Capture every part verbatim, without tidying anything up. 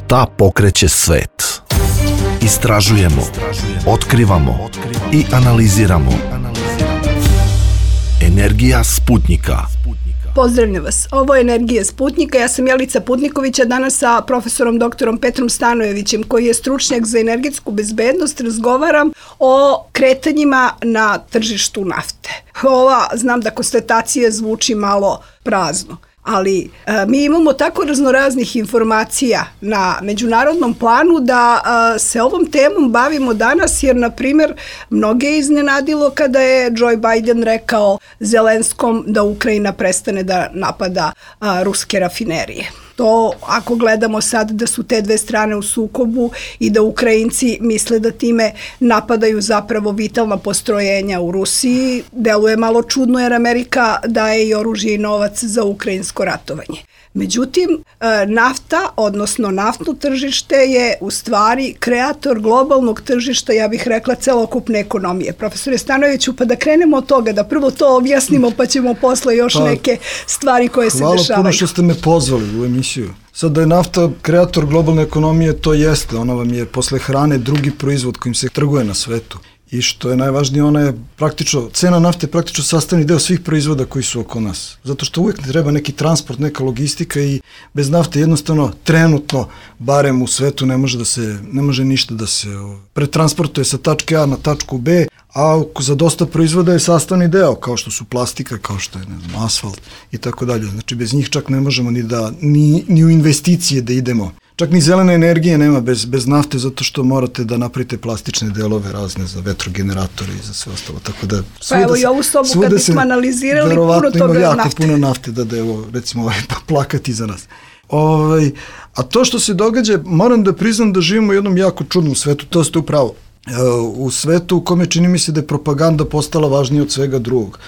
Šta pokreće svet? Istražujemo, otkrivamo i analiziramo. Energija Sputnika. Pozdravljam vas. Ovo je Energija Sputnika. Ja sam Jelica Putniković, a danas sa profesorom doktorom Petrom Stanojevićem, koji je stručnjak za energetsku bezbednost, razgovaram o kretanjima na tržištu nafte. Ova, znam da konstatacija zvuči malo prazno, ali e, mi imamo tako raznoraznih informacija na međunarodnom planu da e, se ovom temom bavimo danas, jer, na primjer, mnoge je iznenadilo kada je Joe Biden rekao Zelenskom da Ukrajina prestane da napada a, ruske rafinerije. To, ako gledamo sad da su te dve strane u sukobu i da Ukrajinci misle da time napadaju zapravo vitalna postrojenja u Rusiji, deluje malo čudno, jer Amerika daje i oružje i novac za ukrajinsko ratovanje. Međutim, nafta, odnosno naftno tržište, je u stvari kreator globalnog tržišta, ja bih rekla, celokupne ekonomije. Profesore Stanojeviću, pa da krenemo od toga, da prvo to objasnimo, pa ćemo posle još pa, neke stvari koje se dešavaju. Hvala puno što ste me pozvali u emisiju. Sad da je nafta kreator globalne ekonomije, to jeste. Ona vam je posle hrane drugi proizvod kojim se trguje na svetu. I što je najvažnije, ona je praktično, cena nafte je praktično sastavni deo svih proizvoda koji su oko nas. Zato što uvijek treba neki transport, neka logistika i bez nafte jednostavno trenutno, barem u svetu, ne može da se, ne može ništa da se pretransportuje sa tačke A na tačku B, a za dosta proizvoda je sastavni deo, kao što su plastika, kao što je, ne znam, asfalt i tako dalje. Znači bez njih čak ne možemo ni da, ni, ni u investicije da idemo. Čak ni zelene energije nema bez, bez nafte, zato što morate da napravite plastične delove razne za vetrogeneratore i za sve ostalo. Tako da, pa evo i ovu sobu kad bismo analizirali, puno toga jako nafte. Puno nafte da da evo, recimo, ovaj, plakati za nas. Ovaj, a to što se događa, moram da priznam da živimo u jednom jako čudnom svetu, to ste upravo. U svetu u kome čini mi se da je propaganda postala važnija od svega drugog.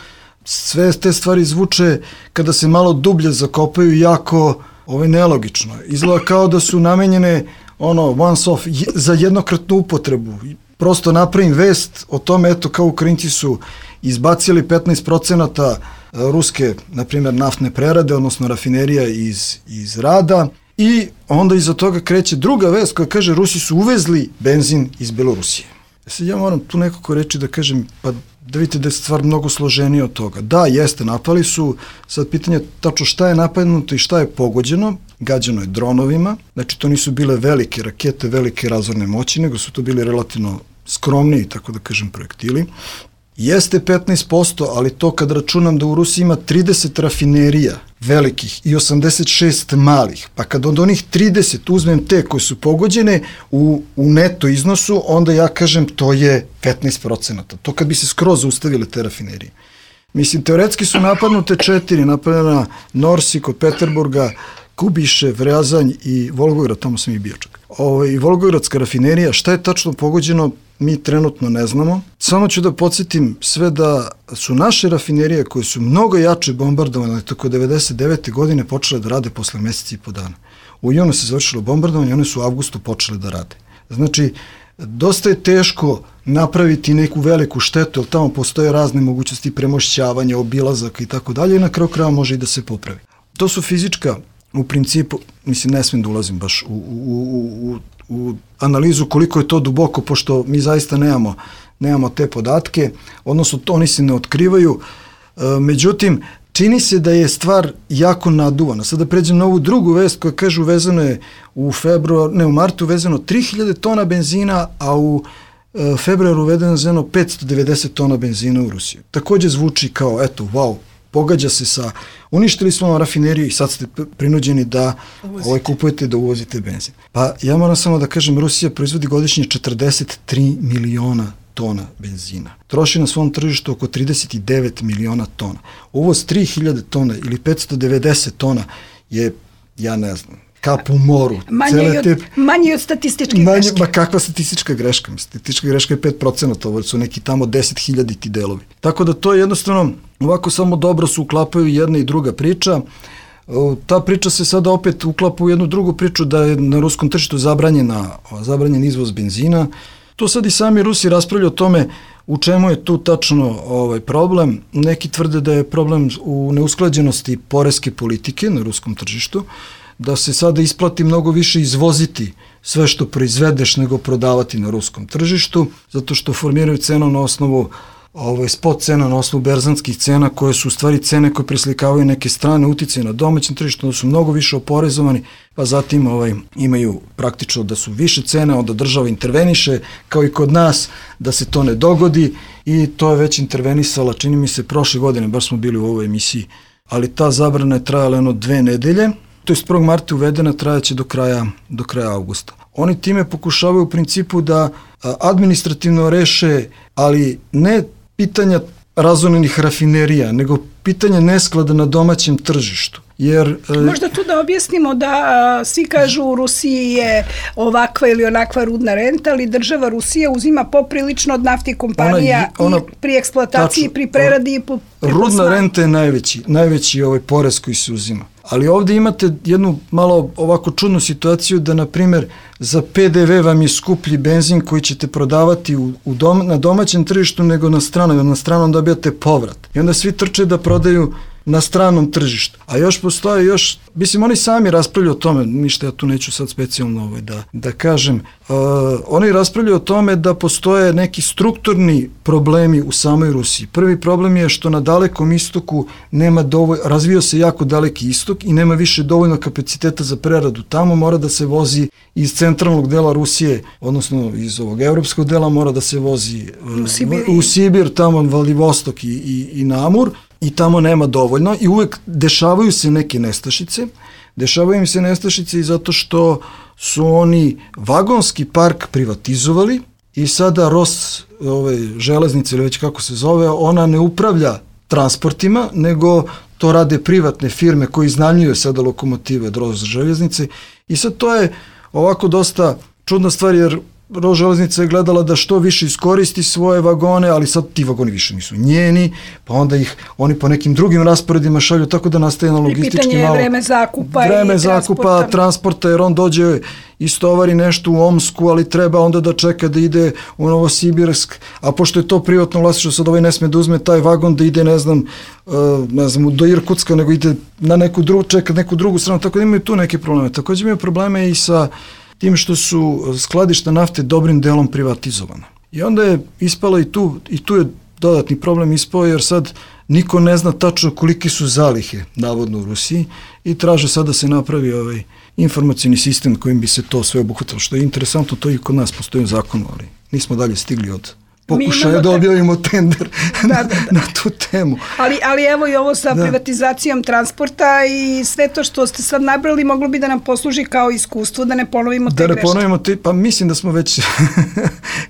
Sve te stvari zvuče, kada se malo dublje zakopaju, jako ovo je nelogično. Izgleda kao da su namenjene ono, once off, za jednokratnu upotrebu. Prosto napravim vest o tome, eto, kao Ukrajinci su izbacili petnaest procenata ruske, na primjer, naftne prerade, odnosno rafinerija iz, iz rada, i onda iza toga kreće druga vest koja kaže Rusi su uvezli benzin iz Belorusije. Sad ja moram tu nekako reći da kažem, pa da vidite da je stvar mnogo složenija od toga. Da, jeste, napali su, sad pitanje tačno šta je napadnuto i šta je pogođeno, gađano je dronovima, znači to nisu bile velike rakete, velike razorne moći, nego su to bili relativno skromniji, tako da kažem, projektili. Jeste petnaest posto, ali to kad računam da u Rusiji ima trideset rafinerija velikih i osamdeset šest malih, pa kad od onih trideset uzmem te koje su pogođene u, u neto iznosu, onda ja kažem to je petnaest procenata. To kad bi se skroz ustavile te rafinerije. Mislim, teoretski su napadnute četiri, napadana Norsi kod Peterburga, Kubišev, Rjazanj i Volgograd, tamo sam i bio čak. Ovo, i Volgogradska rafinerija, šta je tačno pogođeno, mi trenutno ne znamo. Samo ću da podsjetim sve da su naše rafinerije koje su mnogo jače bombardovane tako devedeset devete godine počele da rade posle meseci i po dana. U junu se završilo bombardovanje, one su u avgustu počele da rade. Znači, dosta je teško napraviti neku veliku štetu, jer tamo postoje razne mogućnosti premošćavanja, obilazaka i tako dalje, i na kraju kraja može i da se popravi. To su fizička, u principu, mislim, ne smijem da ulazim baš u, u, u, u u analizu koliko je to duboko, pošto mi zaista nemamo, nemamo te podatke, odnosno to oni se ne otkrivaju. E, međutim, čini se da je stvar jako naduvana. Sada pređem na ovu drugu vest koja kaže uvezano je u februar, ne u martu uvezano tri hiljade tona benzina, a u e, februaru uvezeno petsto devedeset tona benzina u Rusiju. Također zvuči kao, eto, wow, pogađa se sa, uništili smo vam rafineriju i sad ste prinuđeni da ovaj, kupujete, da uvozite benzin. Pa ja moram samo da kažem, Rusija proizvodi godišnje četrdeset tri miliona tona benzina. Troši na svom tržištu oko trideset devet miliona tona. Uvoz tri hiljade tona ili petsto devedeset tona je, ja ne znam, kap u moru. Manje od, te, manje od statističke manje, greške. Ma kakva statistička greška? Statistička greška je pet procenata, ovo su neki tamo deset hiljaditi delovi. Tako da to jednostavno, ovako samo dobro se uklapaju jedna i druga priča. Ta priča se sada opet uklapa u jednu drugu priču da je na ruskom tržištu zabranjena, zabranjen izvoz benzina. To sad i sami Rusi raspravljaju o tome u čemu je tu tačno ovaj problem. Neki tvrde da je problem u neusklađenosti poreske politike na ruskom tržištu, da se sada isplati mnogo više izvoziti sve što proizvedeš nego prodavati na ruskom tržištu, zato što formiraju cenu na osnovu ovaj, spot cena, na osnovu berzanskih cena, koje su u stvari cene koje preslikavaju neke strane uticaje na domaćem tržištu, da su mnogo više oporezovani, pa zatim ovaj, imaju praktično da su više cene, onda država interveniše, kao i kod nas, da se to ne dogodi, i to je već intervenisala, čini mi se, prošle godine, baš smo bili u ovoj emisiji, ali ta zabrana je trajala jedno dve nedelje, to je s prvog marta uvedena, trajaće do kraja, do kraja avgusta. Oni time pokušavaju u principu da administrativno reše, ali ne pitanja razorenih rafinerija, nego pitanje nesklada na domaćem tržištu. Jer, možda tu da objasnimo da a, svi kažu u Rusiji je ovakva ili onakva rudna renta, ali država Rusija uzima poprilično od naftnih kompanija ona, ona, i pri eksploataciji, tačno, pri preradi i pri rudna plasmanu. Renta je najveći, najveći ovaj porez koji se uzima. Ali ovdje imate jednu malo ovako čudnu situaciju da, na primjer, za P D V vam je skuplji benzin koji ćete prodavati u, u dom, na domaćem tržištu nego na stranom. Na stranom dobijate povrat. I onda svi trče da prodaju na stranom tržištu. A još postoje još, mislim, oni sami raspravljaju o tome, ništa ja tu neću sad specijalno ovaj da, da kažem, uh, oni raspravljaju o tome da postoje neki strukturni problemi u samoj Rusiji. Prvi problem je što na dalekom istoku nema dovoljno, razvio se jako daleki istok i nema više dovoljno kapaciteta za preradu. Tamo mora da se vozi iz centralnog dela Rusije, odnosno iz ovog evropskog dela mora da se vozi uh, u, Sibir. u Sibir, tamo Vladivostok i, i, i Namur, i tamo nema dovoljno i uvek dešavaju se neke nestašice. Dešavaju im se nestašice i zato što su oni vagonski park privatizovali i sada Ros, ove, železnice ili već kako se zove, ona ne upravlja transportima, nego to rade privatne firme koji iznajmljuju sada lokomotive Ros železnice i sad to je ovako dosta čudna stvar jer Ros železnica je gledala da što više iskoristi svoje vagone, ali sad ti vagoni više nisu njeni, pa onda ih oni po nekim drugim rasporedima šalju, tako da nastaje na logistički malo... I pitanje je vreme zakupa vreme i zakupa, transporta. transporta, jer on dođe istovari nešto u Omsku, ali treba onda da čeka da ide u Novosibirsk, a pošto je to privatno vlasništvo, sad ovaj ne sme da uzme taj vagon da ide, ne znam, uh, ne znam, do Irkutska, nego ide na neku drugu, čeka neku drugu stranu, tako da imaju tu neke probleme. Također imaju probleme i sa tim što su skladišta nafte dobrim delom privatizovana. I onda je ispalo i tu, i tu je dodatni problem ispao, jer sad niko ne zna tačno koliki su zalihe, navodno u Rusiji, i traže sad da se napravi ovaj informacijni sistem kojim bi se to sve obuhvatilo. Što je interesantno, to i kod nas postoji u zakonu, ali nismo dalje stigli od pokušaja da objavimo tender da, da, da. na tu temu. Ali, ali evo i ovo sa da. privatizacijom transporta i sve to što ste sad nabrali moglo bi da nam posluži kao iskustvo, da ne ponovimo te greške. Da ne ponovimo te, pa mislim da smo već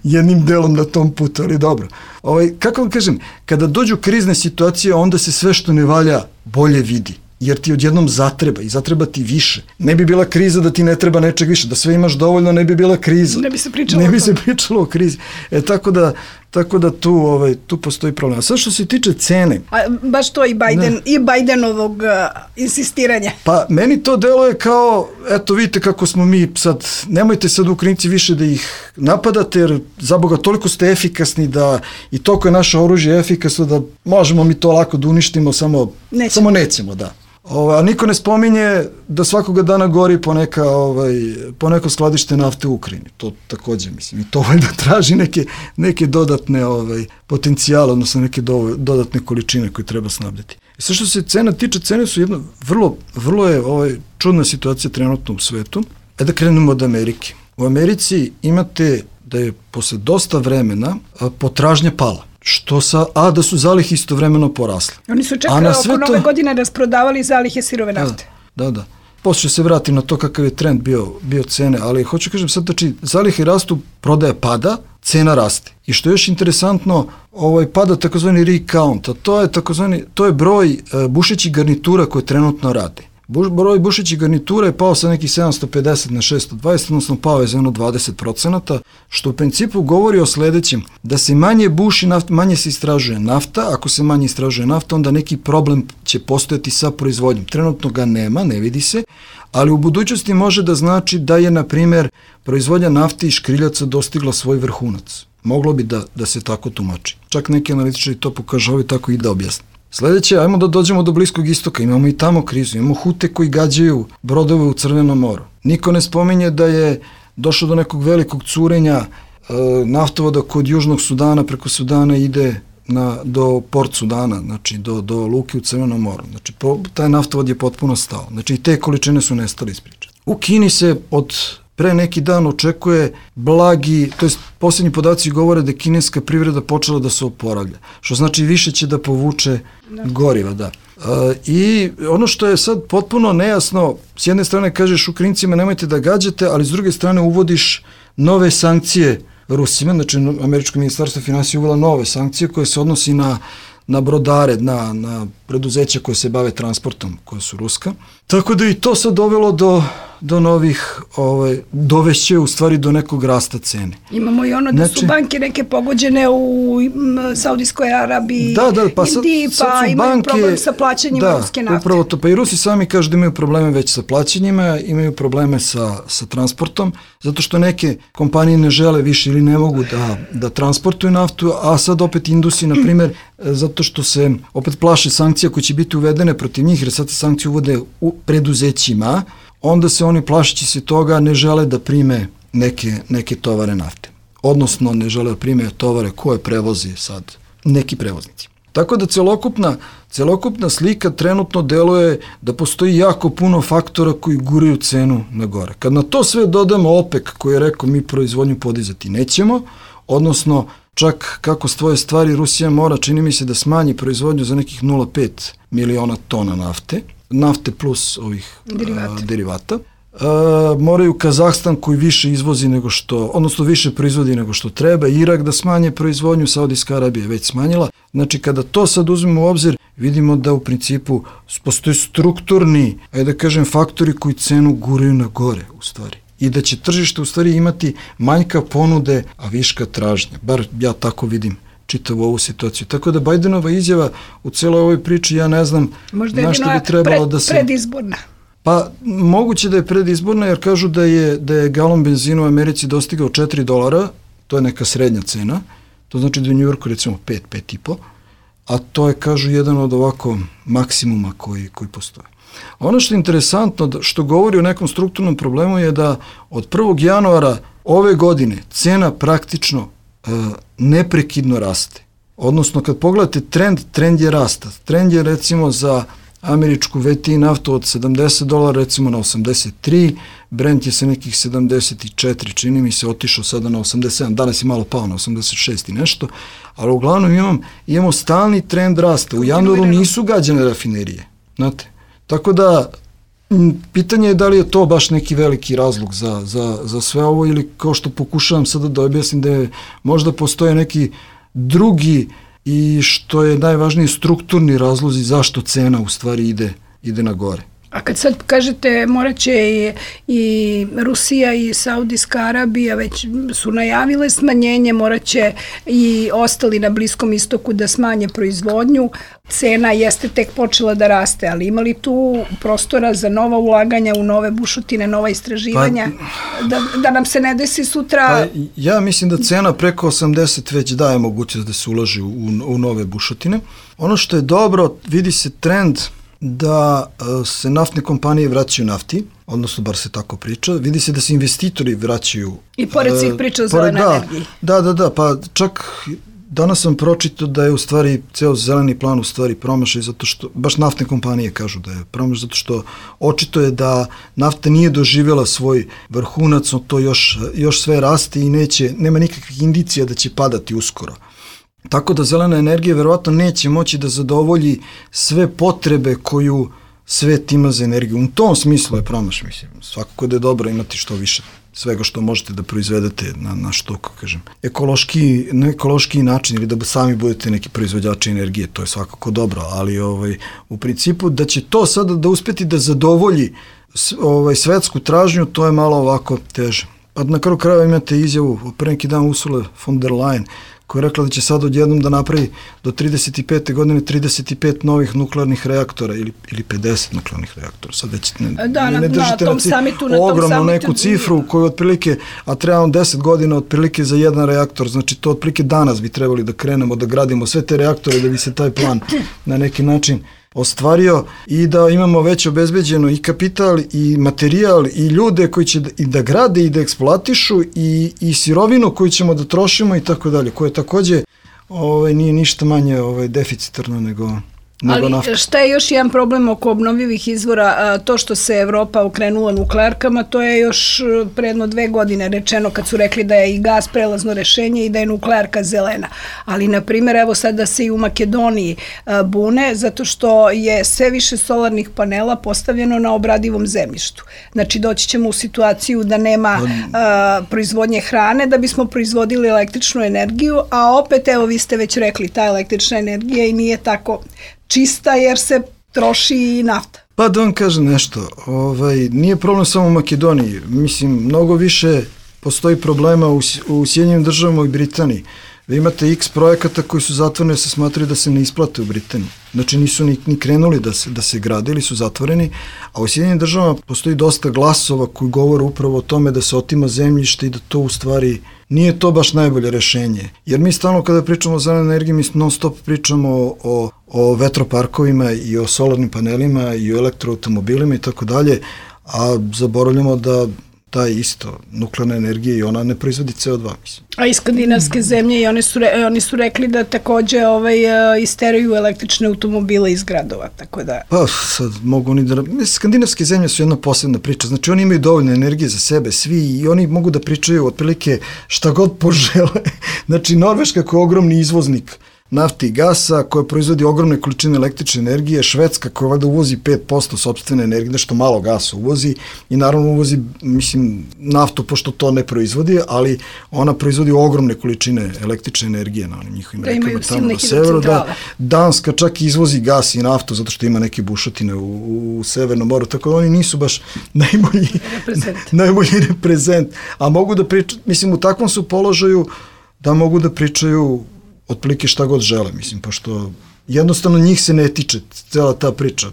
jednim delom na tom putu, ali dobro. Ovaj, kako vam kažem, kada dođu krizne situacije, onda se sve što ne valja bolje vidi. Jer ti odjednom zatreba i zatreba ti više. Ne bi bila kriza da ti ne treba nečeg više, da sve imaš dovoljno, ne bi bila kriza. Ne bi se pričalo, ne bi se pričalo o krizi. E, tako da, tako da tu, ovaj, tu postoji problem. A sad što se tiče cene... A, baš to i Biden, ne. i Bidenovog uh, insistiranja. Pa meni to deluje kao, eto vidite kako smo mi sad, nemojte sad Ukrajinci više da ih napadate, jer za Boga toliko ste efikasni da i toliko je naše oružje efikasno da možemo mi to lako da uništimo, samo nećemo, samo nećemo da. Ovaj, a niko ne spominje da svakoga dana gori poneka, ovaj, poneko skladište nafte u Ukrajini. To također, mislim, i to valjda traži neke, neke dodatne ovaj, potencijale, odnosno neke do, dodatne količine koje treba snabdjeti. I sve što se cena tiče, cene su jedno, vrlo, vrlo je ovaj, čudna situacija trenutno u svetu. E da krenemo od Amerike. U Americi imate da je posle dosta vremena potražnja pala. Što sa, a da su zalihe istovremeno porasle. Oni su čak oko nove godine rasprodavali zalihe sirove nafte. Da, da, da. Poslije se vratim na to kakav je trend bio, bio cene, ali hoću kažem sad, znači, zalihe rastu, prodaja pada, cena raste. I što je još interesantno, ovaj pada takozvani rig count, a to je takozvani, to je broj uh, bušećih garnitura koje trenutno rade. Buš, broj bušećih garnitura je pao sa nekih sedamsto pedeset na šesto dvadeset, odnosno pao je za jedno dvadeset procenata, što u principu govori o sledećem, da se manje buši nafta, manje se istražuje nafta, ako se manje istražuje nafta, onda neki problem će postojati sa proizvodnjom. Trenutno ga nema, ne vidi se, ali u budućnosti može da znači da je, na primjer, proizvodnja nafte i škriljaca dostigla svoj vrhunac. Moglo bi da, da se tako tumači. Čak neki analitičari to pokažu, tako i da objasne. Sledeće, ajmo da dođemo do Bliskog istoka, imamo i tamo krizu, imamo Hute koji gađaju brodove u Crvenom moru. Niko ne spominje da je došlo do nekog velikog curenja e, naftovoda kod Južnog Sudana, preko Sudana ide na, do Port Sudana, znači do, do luke u Crvenom moru. Znači, po, taj naftovod je potpuno stao. Znači, i te količine su nestale iz priče. U Kini se od pre neki dan očekuje blagi, to jest posljednji podaci govore da je kineska privreda počela da se oporavlja, što znači više će da povuče goriva, da. E, I ono što je sad potpuno nejasno, s jedne strane kažeš Ukrajincima nemojte da gađate, ali s druge strane uvodiš nove sankcije Rusima, znači Američko ministarstvo finansija uvela nove sankcije koje se odnosi na na brodare, na, na preduzeća koje se bave transportom, koje su ruska. Tako da i to sad dovelo do, do novih, ovaj, dovešće u stvari do nekog rasta cene. Imamo i ono da znači, su banke neke pogođene u m, Saudijskoj Arabiji, da, da, pa Indiji, sad, pa sad imaju banke, problem sa plaćanjima da, ruske nafte. Upravo to, pa i Rusi sami kažu da imaju probleme već sa plaćanjima, imaju probleme sa, sa transportom, zato što neke kompanije ne žele više ili ne mogu da, da transportuju naftu, a sad opet Indusi, na primjer, zato što se opet plaše sankcija koje će biti uvedene protiv njih, jer sad se sankcije uvode u preduzećima, onda se oni plašeći se toga ne žele da prime neke, neke tovare nafte. Odnosno ne žele da prime tovare koje prevozi sad neki prevoznici. Tako da celokupna, celokupna slika trenutno deluje da postoji jako puno faktora koji guraju cenu na gore. Kad na to sve dodamo OPEC koji je rekao mi proizvodnju podizati nećemo, odnosno čak kako stoje stvari, Rusija mora, čini mi se, da smanji proizvodnju za nekih nula zarez pet miliona tona nafte, nafte plus ovih derivata. A, derivata. A, moraju Kazahstan koji više izvozi nego što, odnosno više proizvodi nego što treba, Irak da smanje proizvodnju, Saudijska Arabija je već smanjila. Znači kada to sad uzmemo u obzir, vidimo da u principu postoje strukturni, ajde da kažem, faktori koji cenu guraju na gore u stvari. I da će tržište u stvari imati manjka ponude, a viška tražnje. Bar ja tako vidim čitavu ovu situaciju. Tako da Bajdenova izjava u celoj ovoj priči, ja ne znam možda na što bi trebalo pred, da se... predizborna. Pa moguće da je predizborna jer kažu da je, da je galon benzina u Americi dostigao četiri dolara, to je neka srednja cena, to znači da je u Njujorku recimo pet, pet i po, a to je, kažu, jedan od ovako maksimuma koji, koji postoje. Ono što je interesantno, što govori o nekom strukturnom problemu je da od prvog januara ove godine cena praktično e, neprekidno raste. Odnosno kad pogledate trend, trend je rasta. Trend je recimo za američku V T I naftu od sedamdeset dolara recimo na osamdeset tri, Brent je sa nekih sedamdeset četiri, čini mi se, otišao sada na osamdeset sedam, danas je malo pao na osamdeset šest i nešto, ali uglavnom imam, imamo stalni trend rasta. U januaru nisu gađane rafinerije, znate. Tako da, pitanje je da li je to baš neki veliki razlog za, za, za sve ovo ili kao što pokušavam sada da objasnim da je možda postoje neki drugi i što je najvažnije strukturni razlozi zašto cena u stvari ide, ide na gore. A kad sad kažete morat će i, i Rusija i Saudijska Arabija već su najavile smanjenje, morat će i ostali na Bliskom istoku da smanje proizvodnju, cena jeste tek počela da raste, ali ima li tu prostora za nova ulaganja u nove bušotine, nova istraživanja, pa, da, da nam se ne desi sutra... Pa, ja mislim da cena preko osamdeset već daje mogućnost da se ulaži u, u nove bušotine. Ono što je dobro, vidi se trend da se naftne kompanije vraćaju nafti, odnosno bar se tako priča, vidi se da se investitori vraćaju. I pored svih priča o zelenoj da, energiji. Da, da, da, pa čak danas sam pročitao da je u stvari ceo zeleni plan u stvari promašaj, zato što, baš naftne kompanije kažu da je promašaj, zato što očito je da nafta nije doživjela svoj vrhunac, to još, još sve raste i neće, nema nikakvih indicija da će padati uskoro. Tako da zelena energija verovatno neće moći da zadovolji sve potrebe koju svet ima za energiju. U tom smislu je promaš, mislim. Svakako da je dobro imati što više svega što možete da proizvedete na, na što, kako kažem, ekološki, na ekološki način ili da sami budete neki proizvođači energije, to je svakako dobro, ali ovaj, u principu da će to sada da uspeti da zadovolji ovaj, svetsku tražnju, to je malo ovako teže. Pa na kraju krajeva imate izjavu, pre neki dan Ursula von der Leyen koja je rekla da će sad odjednom da napravi do trideset pete godine trideset pet novih nuklearnih reaktora ili, ili pedeset nuklearnih reaktora. Sad već ne, da, ne, ne držite na, na, ci, samitu, na ogromnu tom neku cifru koju otprilike, a trebamo deset godina otprilike za jedan reaktor, znači to otprilike danas bi trebali da krenemo da gradimo sve te reaktore da bi se taj plan na neki način ostvario i da imamo već obezbeđeno i kapital i materijal i ljude koji će da, i da grade i da eksploatišu i, i sirovinu koju ćemo da trošimo i tako dalje, koje takođe ovaj, nije ništa manje ovaj, deficitarno nego... Ali nafta. Šta je još jedan problem oko obnovljivih izvora, to što se Evropa okrenula nuklearkama, to je još predno dve godine rečeno kad su rekli da je i gas prelazno rešenje i da je nuklearka zelena. Ali, na primjer, evo sada se i u Makedoniji bune zato što je sve više solarnih panela postavljeno na obradivom zemljištu. Znači, doći ćemo u situaciju da nema a, proizvodnje hrane da bismo proizvodili električnu energiju, a opet, evo, vi ste već rekli, ta električna energija i nije tako čista jer se troši i nafta. Pa da vam kažem nešto, ovaj, nije problem samo u Makedoniji, mislim, mnogo više postoji problema u, u Sjedinjenim državama i Britaniji. Vi imate x projekata koji su zatvoreni jer se smatraju da se ne isplate u Britaniji. Znači nisu ni, ni krenuli da se, da se grade ili su zatvoreni, a u Sjedinjenim državama postoji dosta glasova koji govore upravo o tome da se otima zemljište i da to u stvari nije to baš najbolje rešenje. Jer mi stalno kada pričamo o zelenoj energiji, mi non stop pričamo o, o vetroparkovima i o solarnim panelima i o elektroautomobilima i tako dalje, a zaboravljamo da ta isto nuklearna energija i ona ne proizvodi C O dva, mislim. A i skandinavske zemlje, i oni su, re, oni su rekli da takođe ovaj, isteraju električne automobile iz gradova, tako da... Pa sad mogu oni da... Skandinavske zemlje su jedna posebna priča, znači oni imaju dovoljno energije za sebe, svi, i oni mogu da pričaju otprilike šta god požele. Znači Norveška koja je ogromni izvoznik nafte i gasa, koja proizvodi ogromne količine električne energije, Švedska koja valjda uvozi pet posto sopstvene energije, nešto malo gasa uvozi i naravno uvozi, mislim, naftu pošto to ne proizvodi, ali ona proizvodi ogromne količine električne energije na onim njihovim da rekama tamo na severu. Da, Danska čak izvozi gas i naftu zato što ima neke bušotine u, u Severnom moru, tako da oni nisu baš najbolji reprezent. najbolji reprezent. A mogu da pričaju, mislim, u takvom su položaju da mogu da pričaju otprilike šta god žele, mislim, pošto jednostavno njih se ne tiče cela ta priča.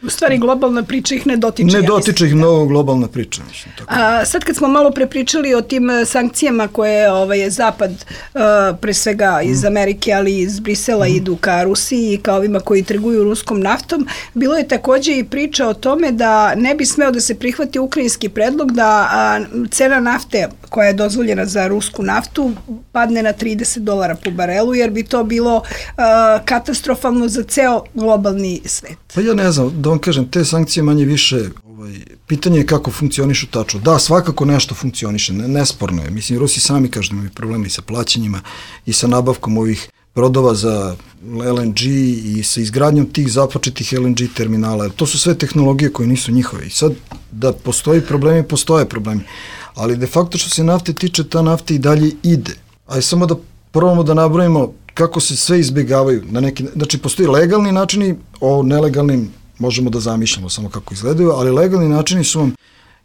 U stvari globalna priča ih ne dotiče. Ne ja dotiče ih mnogo globalna priča. Mislim, tako. A, sad kad smo malo prepričali o tim sankcijama koje ovaj, Zapad, uh, pre svega iz mm. Amerike, ali iz Brisela mm. idu ka Rusiji i ka ovima koji trguju ruskom naftom, bilo je takođe i priča o tome da ne bi smeo da se prihvati ukrajinski predlog da a, cena nafte koja je dozvoljena za rusku naftu padne na trideset dolara po barelu, jer bi to bilo a, katastrofalno za ceo globalni svet. Pa ja ne znam, da vam kažem, te sankcije manje više, ovaj, pitanje je kako funkcionišu tačno. Da, svakako nešto funkcioniše, ne, nesporno je. Mislim, Rusi sami kažu da imaju problema i sa plaćanjima i sa nabavkom ovih brodova za L N G i sa izgradnjom tih započetih L N G terminala. To su sve tehnologije koje nisu njihove. I sad, da postoji problemi, postoje problemi. Ali de facto što se nafte tiče, ta nafta i dalje ide. Ajde samo da probamo da nabrojimo kako se sve izbjegavaju. Na neki, znači, postoji legalni načini, o nelegalnim možemo da zamišljamo samo kako izgledaju, ali legalni načini su vam,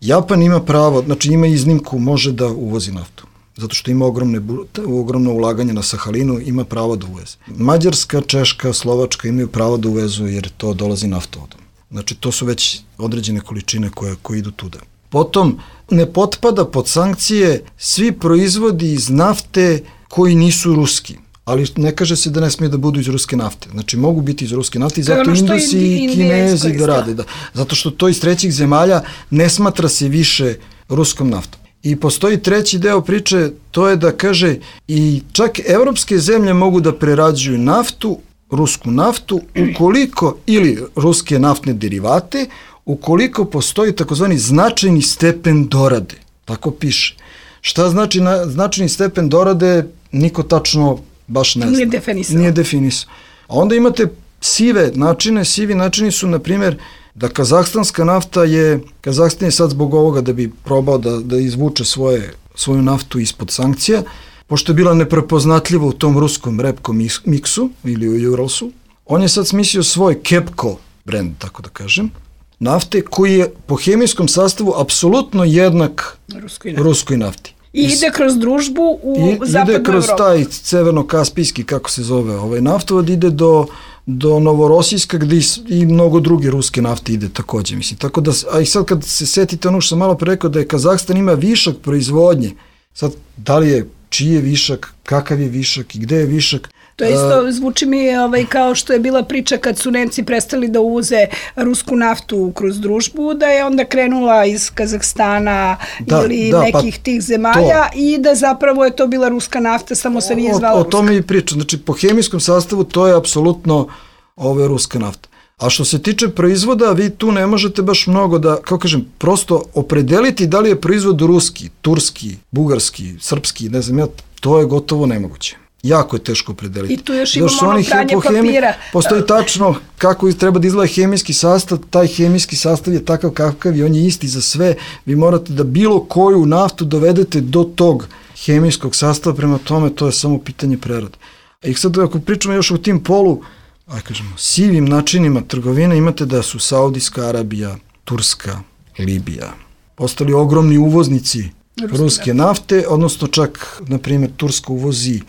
Japan ima pravo, znači ima iznimku, može da uvozi naftu, zato što ima ogromne, ogromno ulaganje na Sahalinu, ima pravo da uveze. Mađarska, Češka, Slovačka imaju pravo da uvezu jer to dolazi naftovodom. Znači to su već određene količine koje, koje idu tuda. Potom ne potpada pod sankcije svi proizvodi iz nafte koji nisu ruski. Ali ne kaže se da ne smije da budu iz ruske nafte. Znači, mogu biti iz ruske nafte i zato Indusi i Kinezi da rade. Da. Zato što to iz trećih zemalja ne smatra se više ruskom naftom. I postoji treći deo priče, to je da kaže i čak evropske zemlje mogu da prerađuju naftu, rusku naftu, ukoliko, ili ruske naftne derivate, ukoliko postoji takozvani značajni stepen dorade. Tako piše. Šta znači na, značajni stepen dorade, niko tačno baš ne zna. Nije definisao. Nije definisao. A onda imate sive načine, sivi načini su, na primjer, da kazahstanska nafta je, Kazahstan je sad zbog ovoga da bi probao da, da izvuče svoje, svoju naftu ispod sankcija, pošto je bila neprepoznatljiva u tom ruskom repkom miksu ili u Uralsu, on je sad smislio svoj Kepco brand, tako da kažem, nafte koji je po hemijskom sastavu apsolutno jednak ruskoj nafti. ruskoj nafti. I ide kroz družbu u I, zapadnu ide kroz Evropu. taj severno-kaspijski, kako se zove, ovaj naftovod ide do, do Novorosijska gde i, i mnogo druge ruske nafte ide takođe. Mislim. Tako da, a i sad kad se setite ono što sam malo pre rekao da je Kazahstan ima višak proizvodnje, sad da li je, čiji je višak, kakav je višak i gde je višak. To isto zvuči mi ovaj, kao što je bila priča kad su Nemci prestali da uvoze rusku naftu kroz družbu, da je onda krenula iz Kazahstana da, ili da, nekih pa tih zemalja to. I da zapravo je to bila ruska nafta, samo se nije zvala o, o ruska. O tome i pričam. Znači, po hemijskom sastavu to je apsolutno ove ruska nafta. A što se tiče proizvoda, vi tu ne možete baš mnogo da, kao kažem, prosto opredeliti da li je proizvod ruski, turski, bugarski, srpski, ne znam ja, to je gotovo nemoguće. Jako je teško opredeliti. I tu još imamo ono pranje papira. Postoji tačno kako treba da izgleda hemijski sastav, taj hemijski sastav je takav kakav i on je isti za sve. Vi morate da bilo koju naftu dovedete do tog hemijskog sastava, prema tome to je samo pitanje prerade. I sad ako pričamo još o tim polu, aj kažemo, sivim načinima trgovine, imate da su Saudijska Arabija, Turska, Libija postali ogromni uvoznici ruske, ruske nafte, odnosno čak, na primjer, Turska uvozi.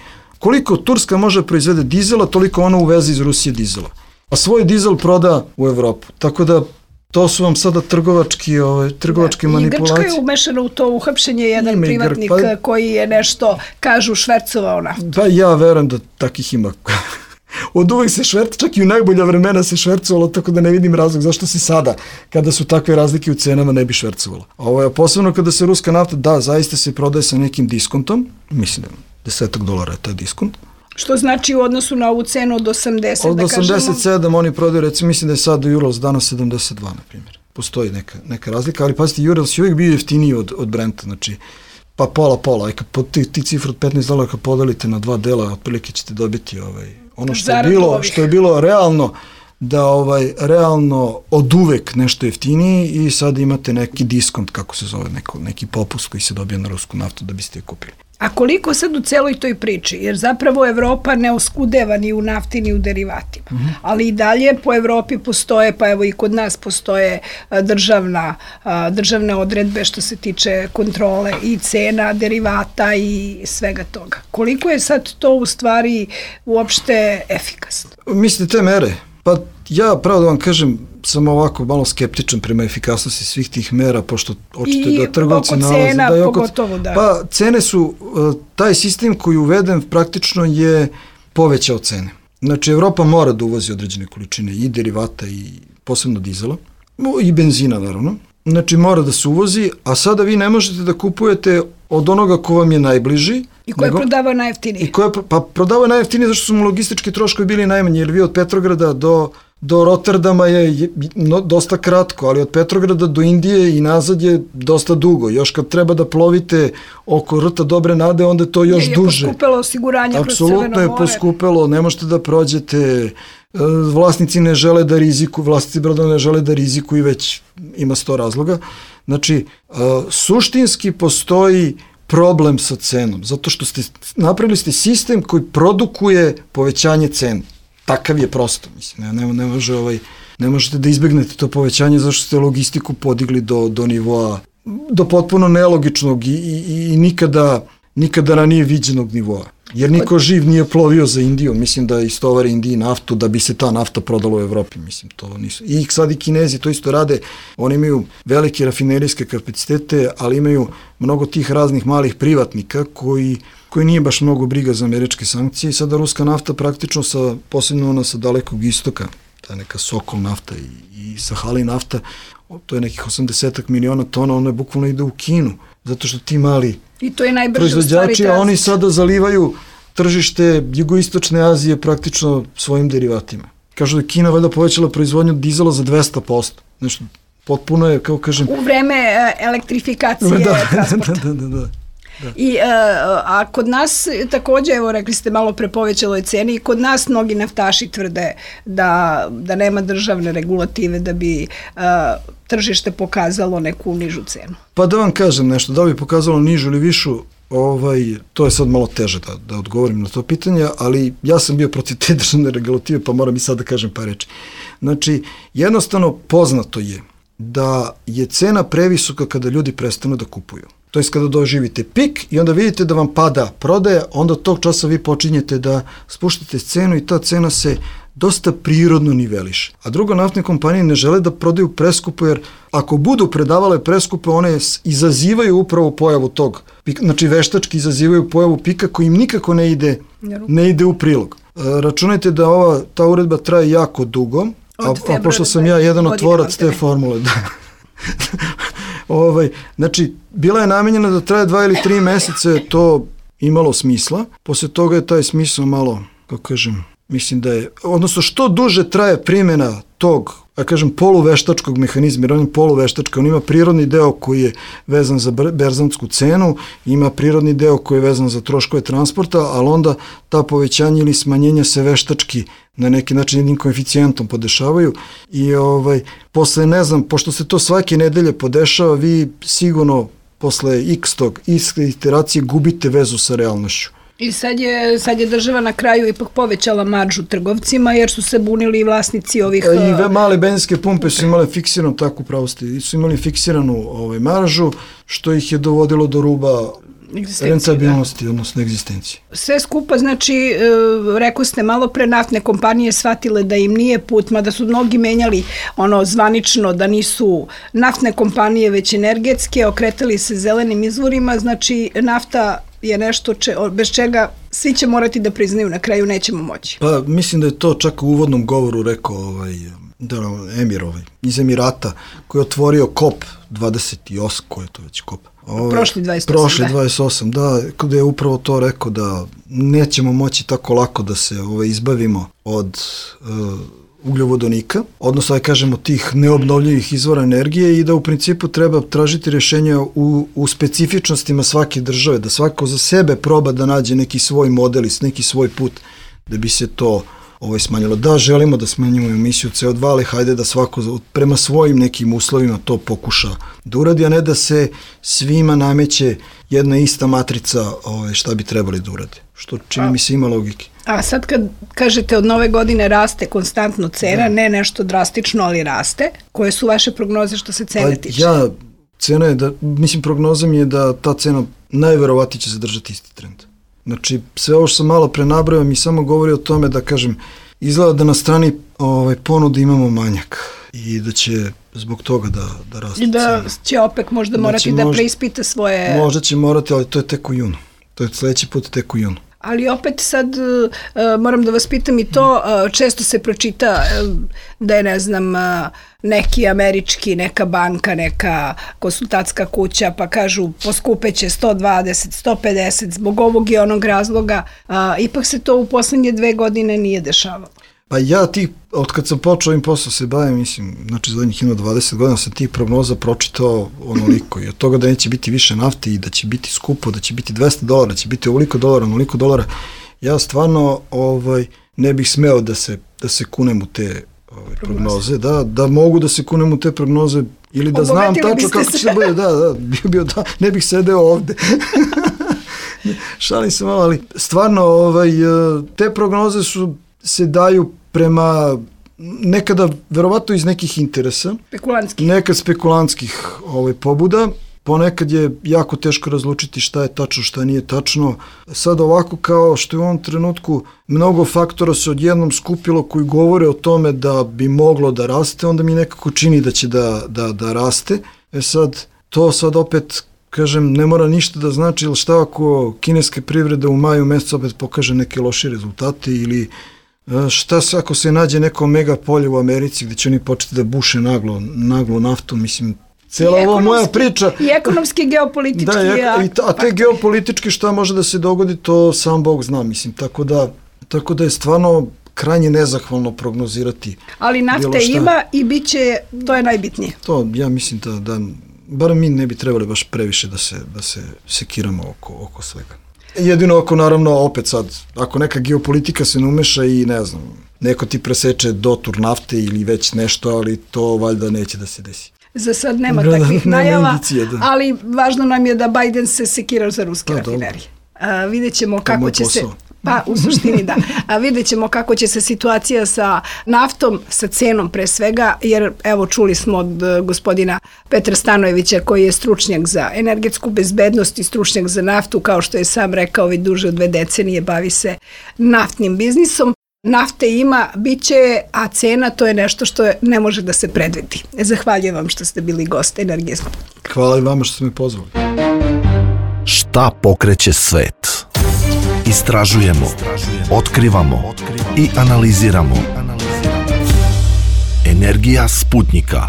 Koliko Turska može proizvede dizela, toliko ona uveze iz Rusije dizela. A svoj dizel proda u Evropu. Tako da to su vam sada trgovački, ove, trgovačke da, manipulacije. I Grčka je umešana u to uhapšenje jedan ima privatnik Gr... pa, koji je nešto, kažu, švercovao naftu. Pa ja verujem da takih ima. Od uvek se šverca, čak i u najbolja vremena se švercovalo, tako da ne vidim razlog zašto se sada, kada su takve razlike u cenama, ne bi švercovalo. Ovo je posebno kada se ruska nafta, da, zaista se prodaje sa nekim diskontom, mislim da desetak dolara je taj diskont. Što znači u odnosu na ovu cenu od osamdeset, od da kažemo? Od osamdeset sedam oni prodaju, recimo, mislim da je sad Urals danas sedamdeset dva, na primjer. Postoji neka, neka razlika, ali pazite, Urals je uvijek bio jeftiniji od, od Brenta, znači, pa pola, pola, aj kad ti, ti cifru od petnaest dolara kad podelite na dva dela, otprilike ćete dobiti ovaj, ono što je bilo, što je bilo realno, da ovaj realno od uvek nešto jeftiniji i sad imate neki diskont, kako se zove, neko, neki popust koji se dobije na rusku naftu da biste je kupili. A koliko sad u celoj toj priči? Jer zapravo Evropa ne oskudeva ni u nafti ni u derivatima. Mm-hmm. Ali i dalje po Evropi postoje, pa evo i kod nas postoje državna, državne odredbe što se tiče kontrole i cena derivata i svega toga. Koliko je sad to u stvari uopšte efikasno? Mislite te mere? Pa ja, pravo da vam kažem, sam ovako malo skeptičan prema efikasnosti svih tih mera, pošto očito I da trgovci nalaze... I oko cena, da je oko, pogotovo, da. Pa cene su, taj sistem koji uveden praktično je povećao cene. Znači, Evropa mora da uvozi određene količine i derivata i posebno dizela, i benzina naravno. Znači, mora da se uvozi, a sada vi ne možete da kupujete od onoga ko vam je najbliži. I ko je prodavao najjeftinije. I ko je, pa prodavao najjeftinije zašto su mu logistički troškovi bili najmanji, jer vi od Petrograda do, do Rotterdama je, je no, dosta kratko, ali od Petrograda do Indije i nazad je dosta dugo. Još kad treba da plovite oko rta Dobre Nade, onda je to još je, duže. Je poskupelo osiguranje kroz Crveno more. Apsolutno je poskupelo, ne možete da prođete, vlasnici ne žele da riziku, vlasnici brodova ne žele da riziku i već ima sto razloga. Znači, suštinski postoji problem sa cenom, zato što ste napravili ste sistem koji produkuje povećanje cene. Takav je prosto, mislim, ne, ne, ne, može, ovaj, ne možete da izbegnete to povećanje zašto ste logistiku podigli do, do nivoa, do potpuno nelogičnog i, i, i nikada, nikada ranije viđenog nivoa. Jer niko živ nije plovio za Indiju, mislim da istovari Indiji naftu da bi se ta nafta prodala u Evropi, mislim, to nisu. I sad i Kinezi to isto rade, oni imaju velike rafinerijske kapacitete, ali imaju mnogo tih raznih malih privatnika koji, koji nije baš mnogo briga za američke sankcije i sada ruska nafta praktično sa, posebno ona sa dalekog istoka, ta neka Sokol nafta i, i Sahali nafta, to je nekih osamdeset miliona tona, ona je bukvalno ide u Kinu, zato što ti mali I to je najbrže proizvođači, a oni sada zalivaju tržište jugoistočne Azije praktično svojim derivatima. Kažu da je Kina valjda povećala proizvodnju dizela za dvesta posto. Nešto potpuno je, kao kažem... U vreme elektrifikacije da, transporta. Da, da, da, da. Da. I, a, a kod nas takođe, evo rekli ste malo pre povećaloj ceni, i kod nas mnogi naftaši tvrde da, da nema državne regulative da bi a, tržište pokazalo neku nižu cenu. Pa da vam kažem nešto, da bi pokazalo nižu ili višu, ovaj, to je sad malo teže da, da odgovorim na to pitanje, ali ja sam bio protiv te državne regulative, pa moram i sad da kažem par reči. Znači, jednostavno poznato je da je cena previsoka kada ljudi prestanu da kupuju. to je kada doživite pik i onda vidite da vam pada prodaja, onda tog časa vi počinjete da spuštate cenu i ta cena se dosta prirodno niveliše. A drugo, naftne kompanije ne žele da prodaju preskupo, jer ako budu predavale preskupo, one izazivaju upravo pojavu tog pika, znači veštački izazivaju pojavu pika koji im nikako ne ide, ne ide u prilog. Računajte da ova, ta uredba traje jako dugo, a, a pošto sam ja jedan od tvorac te formule, da. ovaj, znači, bila je namenjena da traje dva ili tri mesece, to imalo smisla. Posle toga je taj smisao malo, kako kažem, mislim da je, odnosno što duže traje primjena tog, ja kažem, poluveštačkog mehanizma, jer on je poluveštačka, on ima prirodni deo koji je vezan za berzansku cenu, ima prirodni deo koji je vezan za troškove transporta, ali onda ta povećanja ili smanjenja se veštački na neki način jednim koeficijentom podešavaju i ovaj, posle, ne znam, pošto se to svake nedelje podešava, vi sigurno posle x tog, x iteracije gubite vezu sa realnošću. I sad je, sad je država na kraju ipak povećala maržu trgovcima jer su se bunili i vlasnici ovih... I male benzinske pumpe su imale fiksiranu, tako pravo ste, su imali fiksiranu ovaj, maržu, što ih je dovodilo do ruba rentabilnosti, da. Odnosno egzistencije. Sve skupa, znači, e, rekao ste malo pre, naftne kompanije shvatile da im nije put, mada su mnogi menjali ono zvanično da nisu naftne kompanije već energetske, okretali se zelenim izvorima, znači nafta je nešto če, bez čega svi će morati da priznaju, na kraju nećemo moći. Pa mislim da je to čak u uvodnom govoru rekao ovaj, da, Emir ovaj, iz Emirata, koji je otvorio kop dvadeset osam, ko je to već kop? Ovaj, prošli dvadeset osam, prošli dvadeset osam, da, kada je upravo to rekao da nećemo moći tako lako da se ovaj, izbavimo od uh, ugljovodonika, odnosno da kažemo tih neobnovljivih izvora energije i da u principu treba tražiti rješenja u, u specifičnostima svake države, da svako za sebe proba da nađe neki svoj model i neki svoj put da bi se to ovaj, smanjilo. Da, želimo da smanjimo emisiju C O dva, ali hajde da svako prema svojim nekim uslovima to pokuša da uradi, a ne da se svima nameće jedna ista matrica ovaj, šta bi trebali da urade. Što čini mi se ima logike. A sad kad kažete od nove godine raste konstantno cena, da. Ne nešto drastično, ali raste, koje su vaše prognoze što se cene pa, tiče? Ja, cena je da, mislim, prognoza mi je da ta cena najverovatnije će zadržati isti trend. Znači, sve ovo što sam malo prenabrao mi samo govori o tome da, kažem, izgleda da na strani ovaj, ponude imamo manjak i da će zbog toga da, da raste. I da će OPEC možda da morati da možda, preispita svoje... Možda će morati, ali to je tek u junu. To je sledeći put tek u junu. Ali opet sad uh, moram da vas pitam i to, uh, često se pročita uh, da je, ne znam, uh, neki američki, neka banka, neka konsultantska kuća, pa kažu poskupeće sto dvadeset, sto pedeset zbog ovog i onog razloga. Uh, ipak se to u poslednje dve godine nije dešavalo. Pa ja ti, od kad sam počeo ovim poslom se bavim, mislim, znači zadnjih ima dvadeset godina sam tih prognoza pročitao onoliko i od toga da neće biti više nafte i da će biti skupo, da će biti dvesta dolara, da će biti ovoliko dolara, onoliko dolara, ja stvarno ovaj, ne bih smeo da se, da se kunem u te ovaj, prognoze, da, da mogu da se kunem u te prognoze ili da znam tačno kako će se bude, da, da, bio, bio, da, ne bih sedeo ovde. Šalim se malo, ali stvarno ovaj, te prognoze su se daju prema nekada verovatno iz nekih interesa, spekulantskih, nekad spekulantskih ovaj, pobuda, ponekad je jako teško razlučiti šta je tačno, šta nije tačno. Sad ovako kao što je u ovom trenutku mnogo faktora se odjednom skupilo koji govore o tome da bi moglo da raste, onda mi nekako čini da će da, da, da raste. E sad, to sad opet, kažem, ne mora ništa da znači, ili šta ako kineska privreda u maju mesecu opet pokaže neke loše rezultate ili šta se ako se nađe neko mega polje u Americi gde će oni početi da buše naglo, naglo naftu, mislim, cijela ova moja priča... I ekonomski, geopolitički... Da, i, a te geopolitički šta može da se dogodi, to sam Bog zna, mislim, tako da, tako da je stvarno krajnje nezahvalno prognozirati. Ali nafte ima i bit će, to je najbitnije. To, ja mislim da, da bar mi ne bi trebali baš previše da se, da se sekiramo oko, oko svega. Jedino ako naravno opet sad, ako neka geopolitika se ne umeša i ne znam, neko ti preseče dotur nafte ili već nešto, ali to valjda neće da se desi. Za sad nema takvih najava, ali važno nam je da Biden se sekirao za ruske rafinerije. A, vidjet ćemo kako će se Pa u suštini da. A vidjet ćemo kako će se situacija sa naftom, sa cenom pre svega, jer evo čuli smo od gospodina Petra Stanojevića koji je stručnjak za energetsku bezbednost i stručnjak za naftu, kao što je sam rekao, već duže od dve decenije bavi se naftnim biznisom. Nafte ima, bit će, a cena to je nešto što ne može da se predvidi. Zahvaljujem vam što ste bili gost Energetskog. Hvala i vama što ste me pozvali. Šta pokreće svet? Istražujemo, otkrivamo i analiziramo. Energija Sputnika.